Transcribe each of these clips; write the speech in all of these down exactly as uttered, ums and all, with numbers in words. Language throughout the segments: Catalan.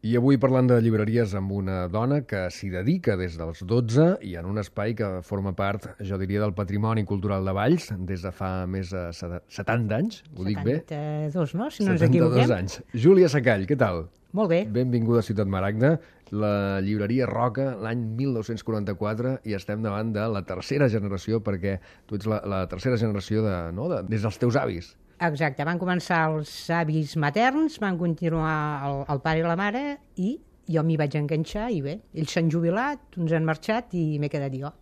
I avui parlant de llibreries amb una dona que s'hi dedica des dels dotze i en un espai que forma part, jo diria, del patrimoni cultural de Valls des de fa més de setanta anys, ho dic bé? setanta-dos, no? Si no ens equivoquem. setanta-dos anys. Júlia Sacall, què tal? Molt bé. Benvinguda a Ciutat Maragda, la llibreria Roca, l'any mil nou-cents quaranta-quatre, i estem davant de la tercera generació, perquè tu ets la, la tercera generació de, no? de, des dels teus avis. Exacte, van començar els avis materns, van continuar el, el pare i la mare, i jo m'hi vaig enganxar, i bé, ells s'han jubilat, uns han marxat, i m'he quedat jo.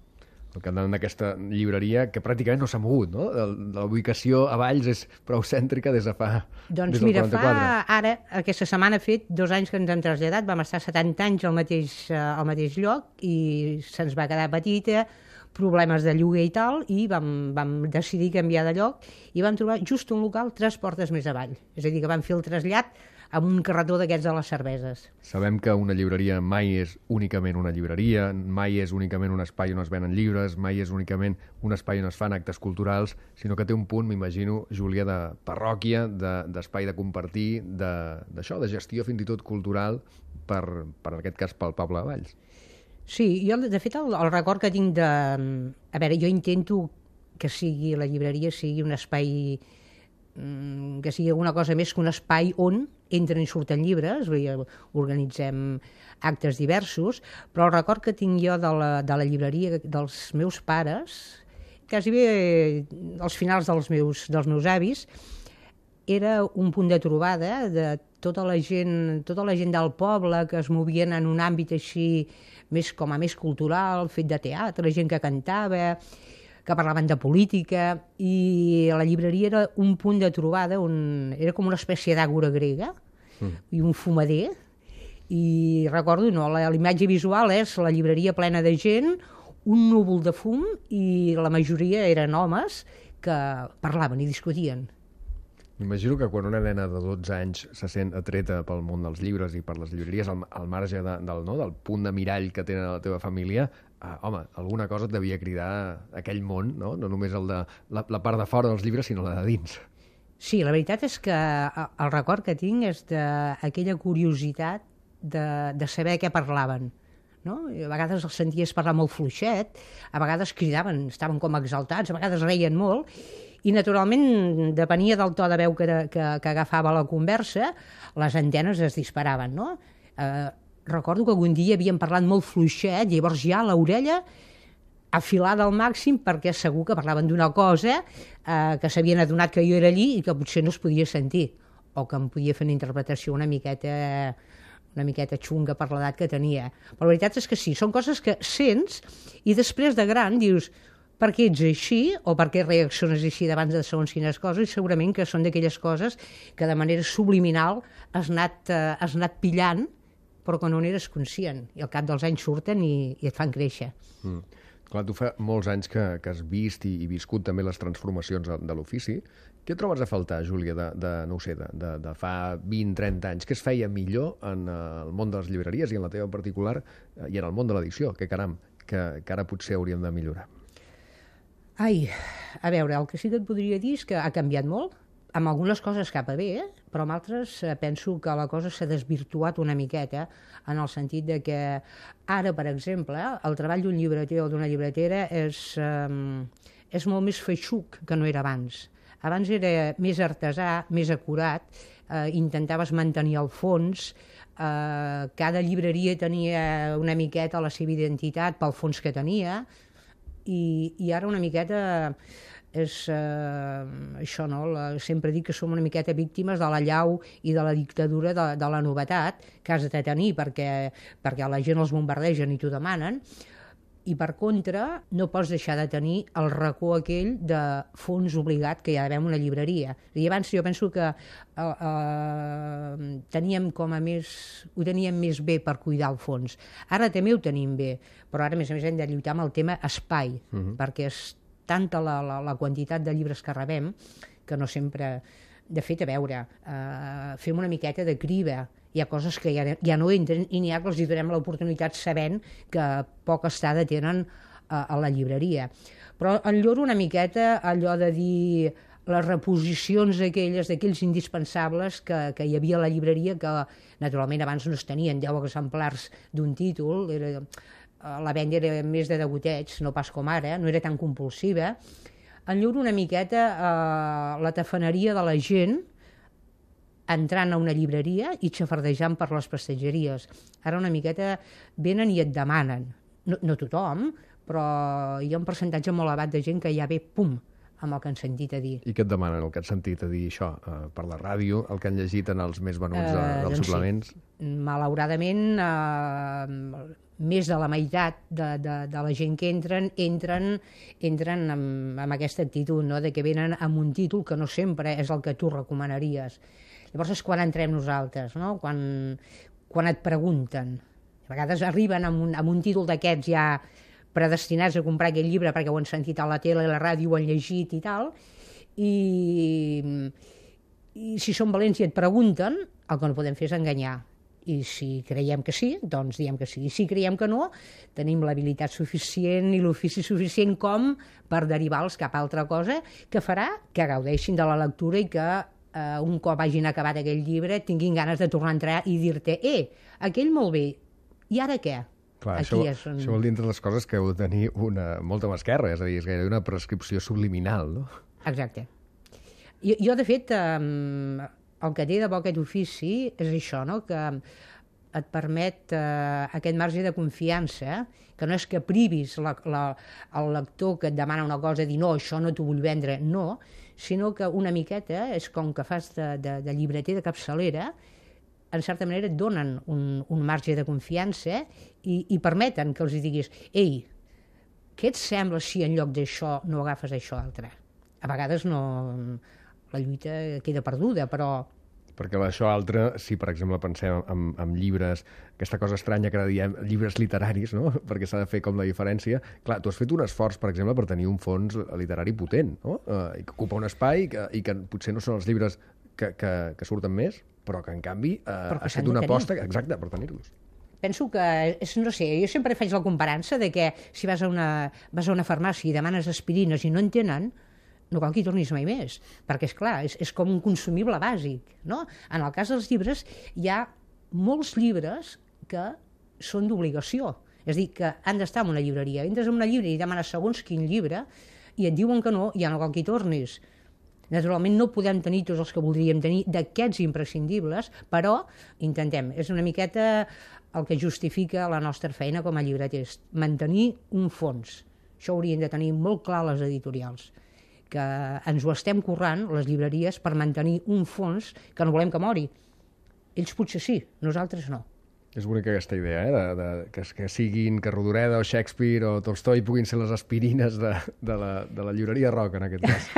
El cantant d'aquesta llibreria, que pràcticament no s'ha mogut, no? La ubicació a Valls és prou cèntrica des de fa... Doncs des del mira, quaranta-quatre. fa ara, aquesta setmana ha fet dos anys que ens hem traslladat, vam estar setanta anys al mateix, al mateix lloc, i se'ns va quedar petita, problemes de lloguer i tal, i vam, vam decidir canviar de lloc i vam trobar just un local tres portes més avall. És a dir, que vam fer el trasllat amb un carretó d'aquests de les cerveses. Sabem que una llibreria mai és únicament una llibreria, mai és únicament un espai on es venen llibres, mai és únicament un espai on es fan actes culturals, sinó que té un punt, m'imagino, Júlia, de parròquia, d'espai de, de compartir, d'això, de, de gestió fins i tot cultural, per, per en aquest cas pel poble de Valls. Sí, jo de fet el, el record que tinc de... A veure, jo intento que sigui la llibreria sigui un espai, que sigui alguna cosa més que un espai on entren i surten llibres, organitzem actes diversos, però el record que tinc jo de la, de la llibreria dels meus pares, quasi bé als finals dels meus, dels meus avis, era un punt de trobada de tota la gent, tota la gent del poble que es movien en un àmbit així més com a més cultural, fet de teatre, gent que cantava, que parlaven de política, i la llibreria era un punt de trobada on era com una espècie d'àgora grega mm. i un fumader, i recordo, no, la, la imatge visual és la llibreria plena de gent, un núvol de fum, i la majoria eren homes que parlaven i discutien. M'imagino que quan una nena de dotze anys se sent atreta pel món dels llibres i per les llibreries, al, al marge de, del, no, del punt de mirall que tenen a la teva família, eh, home, alguna cosa et devia cridar aquell món, no? No només el de, la, la part de fora dels llibres, sinó la de dins. Sí, la veritat és que el record que tinc és d'aquella curiositat de, de saber què parlaven. No? A vegades els senties parlar molt fluixet, a vegades cridaven, estaven com exaltats, a vegades reien molt, i naturalment depenia del to de veu que, que, que agafava la conversa, les antenes es disparaven, no? Eh, recordo que algun dia havien parlat molt fluixet, llavors ja l'orella afilada al màxim, perquè segur que parlaven d'una cosa eh, que s'havien adonat que jo era allí i que potser no es podia sentir, o que em podia fer una interpretació una miqueta una miqueta xunga per l'edat que tenia. Però la veritat és que sí, són coses que sents i després de gran dius per què ets així o per què reacciones així davant de segons quines coses, i segurament que són d'aquelles coses que de manera subliminal has anat, eh, has anat pillant però que no n'eres conscient, i al cap dels anys surten i, i et fan créixer. Mm. Clar, tu fa molts anys que, que has vist i, i viscut també les transformacions de, de l'ofici. Què trobes a faltar, Júlia, de, de, no ho sé, de, de, de fa vint trenta anys? Què es feia millor en el món de les llibreries i en la teva en particular i en el món de l'edició? Que caram, que, que ara potser hauríem de millorar. Ai, a veure, el que sí que et podria dir és que ha canviat molt, amb algunes coses cap a bé, eh? Però amb altres eh, penso que la cosa s'ha desvirtuat una miqueta, en el sentit de que ara, per exemple, el treball d'un llibreter o d'una llibretera és, eh, és molt més feixuc que no era abans. Abans era més artesà, més acurat, eh, intentaves mantenir el fons, eh, cada llibreria tenia una miqueta la seva identitat pel fons que tenia, i, i ara una miqueta és eh, això, no? La, sempre dic que som una miqueta víctimes de la llau i de la dictadura de, de la novetat que has de tenir perquè, perquè la gent els bombardegen i t'ho demanen, i per contra no pots deixar de tenir el racó aquell de fons obligat que hi ha d'haver en una llibreria. I abans jo penso que eh, eh, teníem com a més, ho teníem més bé per cuidar el fons. Ara també ho tenim bé, però ara a més a més hem de lluitar amb el tema espai, uh-huh. perquè és tanta la, la, la quantitat de llibres que rebem que no sempre... De fet, a veure, eh, fem una miqueta de criba. Hi ha coses que ja, ja no entren i n'hi ha que els hi donem l'oportunitat sabent que poca estada tenen a, a la llibreria. Però enlloro una miqueta allò de dir les reposicions aquelles d'aquells indispensables que, que hi havia a la llibreria, que naturalment abans no es tenien deu exemplars d'un títol, era, la venda era més de degoteig, no pas com ara, no era tan compulsiva. Enlluro una miqueta eh, la tafaneria de la gent entrant a una llibreria i xafardejant per les prestatgeries. Ara una miqueta venen i et demanen. No, no tothom, però hi ha un percentatge molt elevat de gent que ja ve, pum, amb el que han sentit a dir. I què et demanen, el que han sentit a dir això? Uh, per la ràdio, el que han llegit en els més venuts uh, dels doncs suplements? Sí. Malauradament, uh, més de la meitat de, de, de la gent que entren, entren, entren amb, amb aquesta actitud, no? De que venen amb un títol que no sempre és el que tu recomanaries. Llavors és quan entrem nosaltres, no? Quan, quan et pregunten. A vegades arriben amb un, amb un títol d'aquests ja predestinats a comprar aquest llibre perquè ho han sentit a la tele, a la ràdio, ho han llegit i tal, i, i si són valents i et pregunten, el que no podem fer és enganyar. I si creiem que sí, doncs diem que sí. I si creiem que no, tenim l'habilitat suficient i l'ofici suficient com per derivar-los cap a altra cosa que farà que gaudeixin de la lectura i que Uh, un cop hagin acabat aquell llibre tinguin ganes de tornar a entrar i dir-te eh, aquell molt bé, i ara què? Clar, això, és un... això vol dir entre les coses que heu de tenir una, molta masquerra, és a dir, és gairebé una prescripció subliminal, no? Exacte. Jo, jo de fet, um, el que té de bo aquest ofici és això, no? Que et permet uh, aquest marge de confiança, que no és que privis la, la, el lector que et demana una cosa, dir no, això no t'ho vull vendre, no, sinó que una miqueta és com que fas de, de, de llibreter de capçalera, en certa manera et donen un, un marge de confiança i, i permeten que els diguis ei, què et sembla si en lloc d'això no agafes això altre? A vegades no, la lluita queda perduda, però... Perquè això altre, si per exemple pensem en, en llibres, aquesta cosa estranya que ara diem, llibres literaris, no? Perquè s'ha de fer com la diferència. Clar, tu has fet un esforç, per exemple, per tenir un fons literari potent, no? Uh, i que ocupa un espai i que, i que potser no són els llibres que, que, que surten més, però que en canvi uh, has fet una aposta exacta per tenir-los. Penso que, és, no sé, jo sempre faig la comparança de que si vas a una, vas a una farmàcia i demanes aspirines i no en tenen, no cal que hi tornis mai més, perquè, és clar, és, és com un consumible bàsic, no? En el cas dels llibres, hi ha molts llibres que són d'obligació, és a dir, que han d'estar en una llibreria. Entres en una llibreria i demanes segons quin llibre i et diuen que no, ja no cal que hi tornis. Naturalment no podem tenir tots els que voldríem tenir d'aquests imprescindibles, però intentem. És una miqueta el que justifica la nostra feina com a llibreters, mantenir un fons. Això ho haurien de tenir molt clar les editorials, que ens ho estem currant, les llibreries, per mantenir un fons que no volem que mori. Ells potser sí, nosaltres no. És bonica aquesta idea, eh? de, de, que, que siguin, que Rodoreda o Shakespeare o Tolstoi puguin ser les aspirines de, de, la, de la llibreria rock, en aquest cas.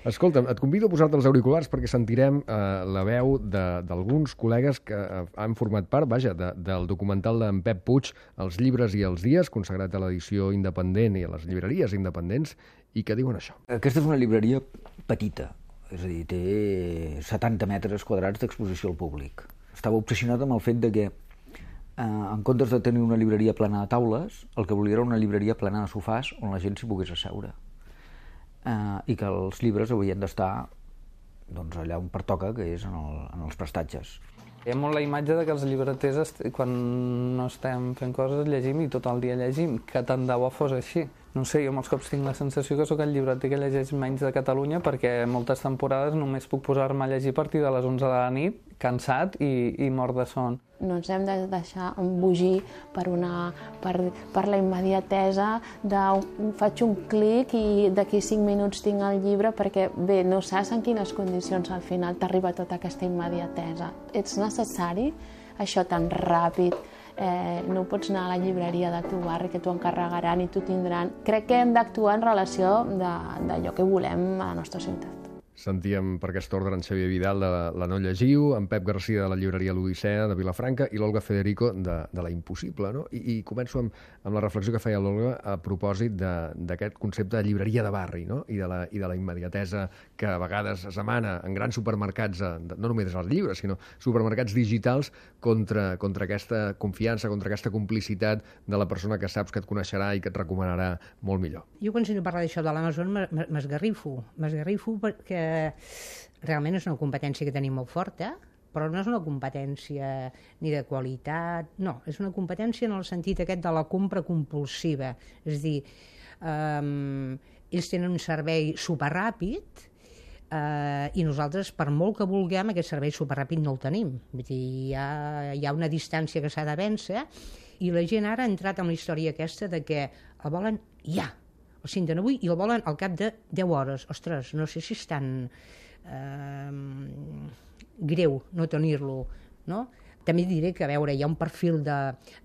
Escolta'm, et convido a posar-te els auriculars perquè sentirem eh, la veu d'alguns col·legues que eh, han format part, vaja, de, del documental d'en Pep Puig, Els llibres i els dies, consagrat a l'edició independent i a les llibreries independents, i que diuen això. Aquesta és una llibreria petita, és a dir, té setanta metres quadrats d'exposició al públic. Estava obsessionat amb el fet de que, eh, en comptes de tenir una llibreria plena de taules, el que volia era una llibreria plena de sofàs on la gent s'hi pogués asseure. Uh, i que els llibres haurien d'estar doncs, allà on pertoca, que és en, el, en els prestatges. Hi ha molt la imatge de que els llibreters, quan no estem fent coses, llegim i tot el dia llegim, que tant de bo fos així. No sé, jo molts cops tinc la sensació que sóc el llibreter que llegeix menys de Catalunya perquè moltes temporades només puc posar-me a llegir a partir de les onze de la nit, cansat i, i mort de son. No ens hem de deixar embogir per, una, per, per la immediatesa de faig un clic i d'aquí cinc minuts tinc el llibre, perquè bé, no saps en quines condicions al final t'arriba tota aquesta immediatesa. Ets necessari això tan ràpid, eh, no pots anar a la llibreria de tu barri que t'ho encarregaran i t'ho tindran. Crec que hem d'actuar en relació d'allò que volem a la nostra ciutat. Sentíem per aquest ordre en Xavier Vidal de La, la No Llegiu, en Pep Garcia de la llibreria L'Odissea de Vilafranca i l'Olga Federico de, de La Impossible. No? I, I començo amb, amb la reflexió que feia l'Olga a propòsit d'aquest concepte de llibreria de barri, no? I, de la, i de la immediatesa que a vegades es demana en grans supermercats, no només els llibres, sinó supermercats digitals contra, contra aquesta confiança, contra aquesta complicitat de la persona que saps que et coneixerà i que et recomanarà molt millor. Jo quan sento parlar d'això de l'Amazon m'esgarrifo, m'esgarrifo perquè realment és una competència que tenim molt forta, però no és una competència ni de qualitat, no, és una competència en el sentit aquest de la compra compulsiva. És a dir, um, ells tenen un servei superràpid uh, i nosaltres, per molt que vulguem, aquest servei superràpid no el tenim. Vull dir, hi ha, hi ha una distància que s'ha de vèncer i la gent ara ha entrat en la història aquesta de que el volen ja, el senten avui i el volen al cap de deu hores. Ostres, no sé si és tan eh, greu no tenir-lo, no? També diré que, a veure, hi ha un perfil de,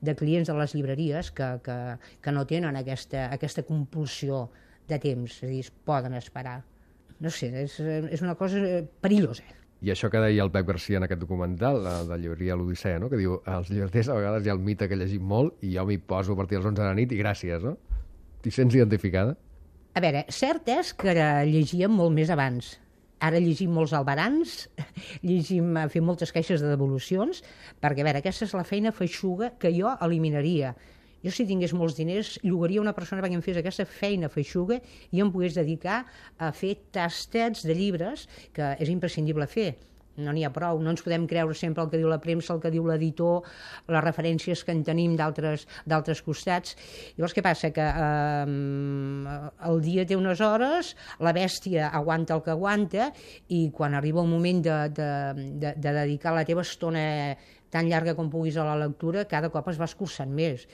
de clients de les llibreries que, que, que no tenen aquesta, aquesta compulsió de temps, és a dir, es poden esperar. No sé, és, és una cosa perillosa. I això que deia el Pep Garcia en aquest documental, de la llibreria L'Odissea, no? Que diu, als llibreters a vegades hi ha el mite que llegim molt i jo m'hi poso a partir dels onze de la nit i gràcies, no? T'hi sents identificada? A veure, cert és que llegíem molt més abans. Ara llegim molts albarans, llegim, fem moltes queixes de devolucions, perquè, a veure, aquesta és la feina feixuga que jo eliminaria. Jo, si tingués molts diners, llogaria una persona perquè em fes aquesta feina feixuga i em pogués dedicar a fer tastets de llibres, que és imprescindible fer. No n'hi ha prou, no ens podem creure sempre el que diu la premsa, el que diu l'editor, les referències que en tenim d'altres costats. Llavors, què passa? Que eh, el dia té unes hores, la bèstia aguanta el que aguanta i quan arriba el moment de, de, de, de dedicar la teva estona tan llarga com puguis a la lectura, cada cop es va escurçant més.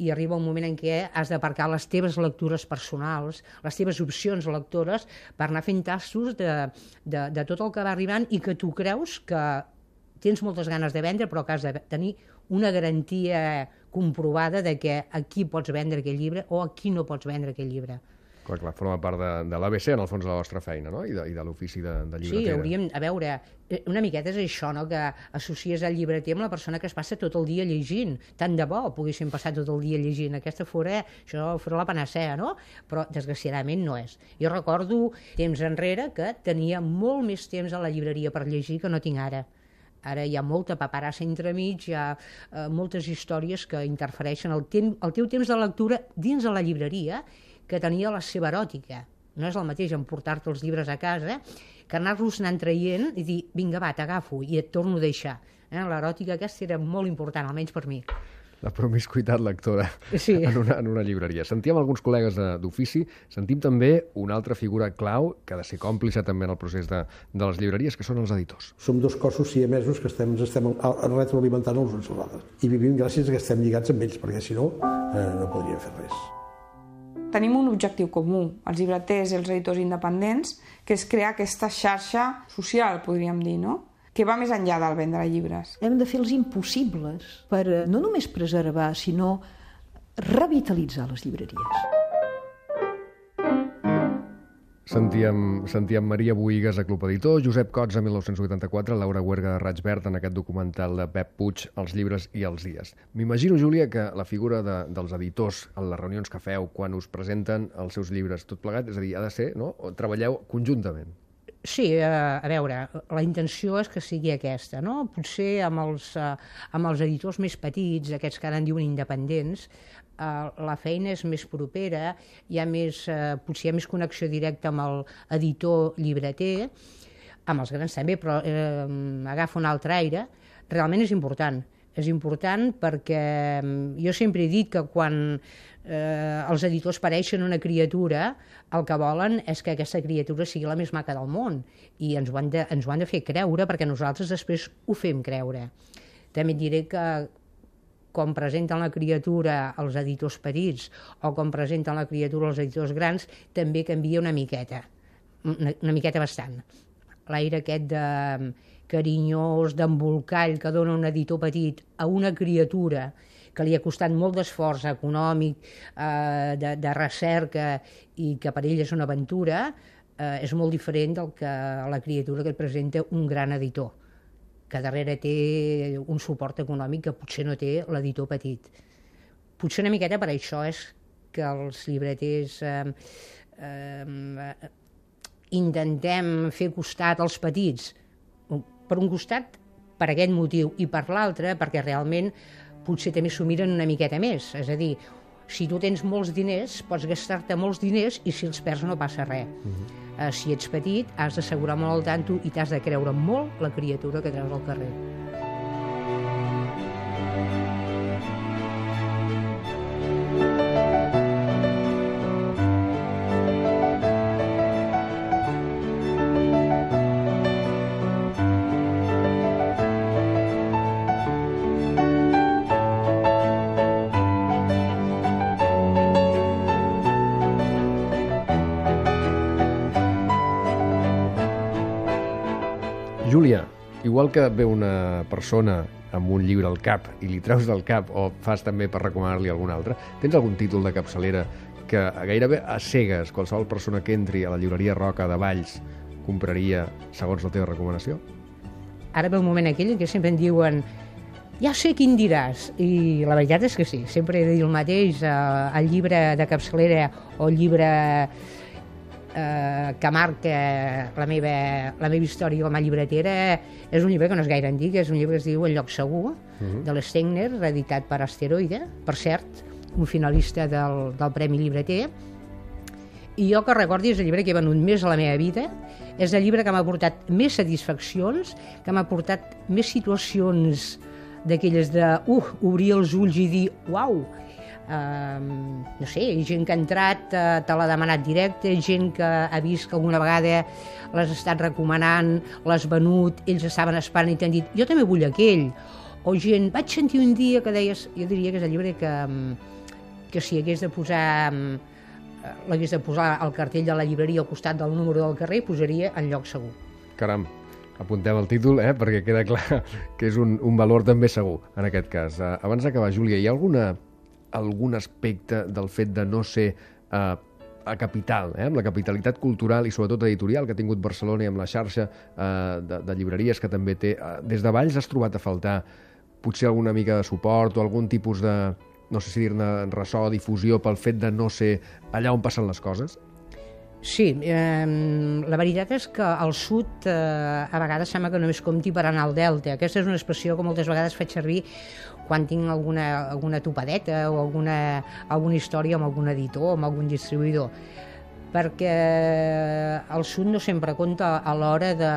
I arriba un moment en què has d'aparcar les teves lectures personals, les teves opcions lectores, per anar fent tastos de, de, de tot el que va arribant i que tu creus que tens moltes ganes de vendre, però que has de tenir una garantia comprovada de que a qui pots vendre aquell llibre o a qui no pots vendre aquell llibre. Clar, clar, forma part de, de l'A B C, en el fons, de la vostra feina, no? I de, i de l'ofici de, de llibreter. Sí, hauríem, a veure, una miqueta és això, no?, que associes el llibreter amb la persona que es passa tot el dia llegint. Tant de bo poguéssim passar tot el dia llegint. Aquesta fora, això fora la panacea, no? Però, desgraciadament, no és. Jo recordo temps enrere que tenia molt més temps a la llibreria per llegir que no tinc ara. Ara hi ha molta paperassa entremig, hi ha eh, moltes històries que interfereixen el, tem el teu temps de lectura dins de la llibreria, que tenia la seva eròtica. No és el mateix emportar-te els llibres a casa que anar-los anant traient i dir, vinga, va, t'agafo i et torno a deixar. Eh? L'eròtica aquesta era molt important, almenys per mi. La promiscuitat lectora sí. en, una, en una llibreria. Sentíem alguns col·legues d'ofici, sentim també una altra figura clau que ha de ser còmplice també en el procés de, de les llibreries, que són els editors. Som dos cossos siamesos que estem, ens estem retroalimentant els uns als altres. I vivim gràcies a que estem lligats amb ells, perquè si no, eh, no podríem fer res. Tenim un objectiu comú, els llibreters i els editors independents, que és crear aquesta xarxa social, podríem dir, no?, que va més enllà del vendre llibres. Hem de fer els impossibles per no només preservar, sinó revitalitzar les llibreries. Sentíem, sentíem Maria Boïgues a Club Editor, Josep Cots a mil nou-cents vuitanta-quatre, Laura Huerga de Raig Verd en aquest documental de Pep Puig, Els llibres i els dies. M'imagino, Júlia, que la figura de, dels editors en les reunions que feu quan us presenten els seus llibres tot plegat, és a dir, ha de ser, no? O treballeu conjuntament. Sí, a veure, la intenció és que sigui aquesta, no? Potser amb els, amb els editors més petits, aquests que ara en diuen independents, la feina és més propera, hi ha més, potser hi ha més connexió directa amb l'editor llibreter, amb els grans també, però eh, agafa un altre aire. Realment és important. És important perquè jo sempre he dit que quan eh, els editors pareixen una criatura, el que volen és que aquesta criatura sigui la més maca del món i ens ho han de, ens ho han de fer creure perquè nosaltres després ho fem creure. També et diré que com presenten la criatura als editors petits o com presenten la criatura als editors grans, també canvia una miqueta, una, una miqueta bastant. L'aire aquest de carinyós, d'embolcall que dona un editor petit a una criatura que li ha costat molt d'esforç econòmic, eh, de, de recerca i que per ell és una aventura, eh, és molt diferent del que la criatura que et presenta un gran editor, que darrere té un suport econòmic que potser no té l'editor petit. Potser una miqueta per això és que els llibreters eh, eh, intentem fer costat als petits. Per un costat, per aquest motiu, i per l'altre, perquè realment potser també s'ho miren una miqueta més. És a dir, si tu tens molts diners, pots gastar-te molts diners i si els perds no passa res. Uh-huh. Uh, si ets petit, has d'assegurar molt al tanto i t'has de creure molt la criatura que treus al carrer. Júlia, igual que ve una persona amb un llibre al cap i li treus del cap o fas també per recomanar-li algun altre, tens algun títol de capçalera que gairebé a cegues qualsevol persona que entri a la llibreria Roca de Valls compraria segons la teva recomanació? Ara ve un moment aquell en què sempre em diuen ja sé quin diràs, i la veritat és que sí, sempre he de dir el mateix, eh, el llibre de capçalera o el llibre eh, que marca la meva, la meva història com a llibretera és un llibre que no és gaire antic, és un llibre que es diu El lloc segur, uh-huh. de l'Stegner, editat per Asteroide, per cert, un finalista del, del Premi Llibreter. I jo que recordi és el llibre que he venut més a la meva vida, és el llibre que m'ha portat més satisfaccions, que m'ha portat més situacions d'aquelles de, uh, obrir els ulls i dir, uau, uh, no sé, gent que ha entrat, uh, te l'ha demanat directe, gent que ha vist que alguna vegada l'has estat recomanant, l'has venut, ells estaven esperant i t'han dit, jo també vull aquell, o gent, vaig sentir un dia que deies, jo diria que és el llibre que, que si hagués de posar, l'hagués de posar al cartell de la llibreria al costat del número del carrer, posaria En lloc segur. Caram, apuntem el títol, eh, perquè queda clar que és un, un valor també segur, en aquest cas. Uh, abans d'acabar, Júlia, hi ha alguna, algun aspecte del fet de no ser uh, a capital, eh, amb la capitalitat cultural i sobretot editorial que ha tingut Barcelona i amb la xarxa uh, de, de llibreries que també té, uh, des de Valls has trobat a faltar potser alguna mica de suport o algun tipus de, no sé si dir-ne ressò, difusió pel fet de no ser allà on passen les coses? Sí, eh, la veritat és que al sud eh, a vegades sembla que només compti per anar al delta. Aquesta és una expressió que moltes vegades faig servir quan tinc alguna, alguna topadeta o alguna, alguna història amb algun editor o amb algun distribuïdor, perquè el sud no sempre compta a l'hora de,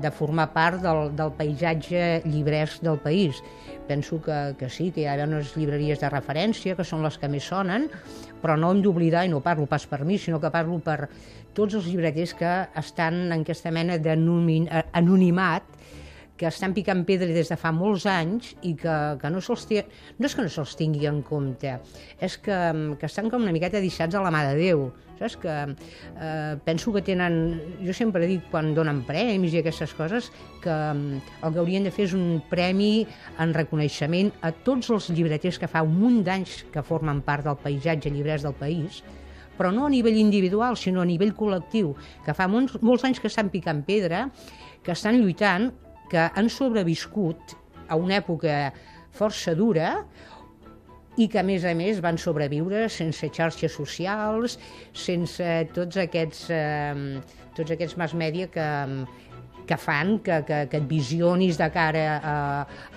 de formar part del, del paisatge llibresc del país. Penso que, que sí, que hi ha unes llibreries de referència que són les que més sonen, però no hem d'oblidar, i no parlo pas per mi, sinó que parlo per tots els llibreters que estan en aquesta mena d'anonimat, que estan picant pedra des de fa molts anys i que, que no se'ls té, no és que no se'ls tingui en compte, és que, que estan com una miqueta deixats a la mà de Déu. Saps? Que eh, penso que tenen, jo sempre dic quan donen premis i aquestes coses, que el que haurien de fer és un premi en reconeixement a tots els llibreters que fa un munt d'anys que formen part del paisatge llibrers del país, però no a nivell individual, sinó a nivell col·lectiu, que fa molts, molts anys que estan picant pedra, que estan lluitant, que han sobreviscut a una època força dura i que, a més a més, van sobreviure sense xarxes socials, sense tots aquests, eh, tots aquests mass media que, que fan que, que, que et visionis de cara a,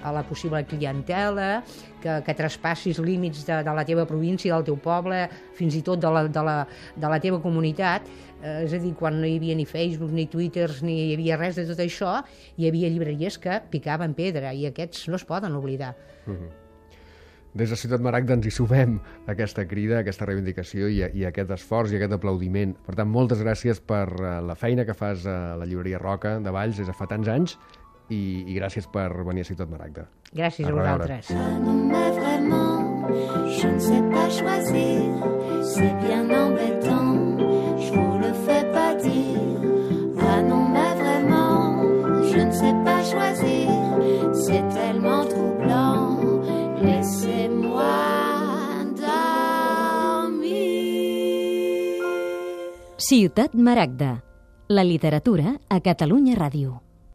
a la possible clientela, que, que traspassis límits de, de la teva província, del teu poble, fins i tot de la, de la, de la teva comunitat. Eh, és a dir, quan no hi havia ni Facebook, ni Twitters, ni hi havia res de tot això, hi havia llibreries que picaven pedra, i aquests no es poden oblidar. Mm-hmm. Des de Ciutat Maragda ens hi sumem aquesta crida, aquesta reivindicació i, i aquest esforç i aquest aplaudiment. Per tant, moltes gràcies per uh, la feina que fas a la llibreria Roca de Valls des de fa tants anys i, i gràcies per venir a Ciutat Maragda. Gràcies a, a vosaltres. Je ne sais pas choisir, c'est bien embêtant, je vous le fais pas dire. Ah non, mais vraiment, je ne sais pas choisir, c'est tellement troublant, laissez-moi dormir. Ciutat Maragda. La literatura a Catalunya Ràdio.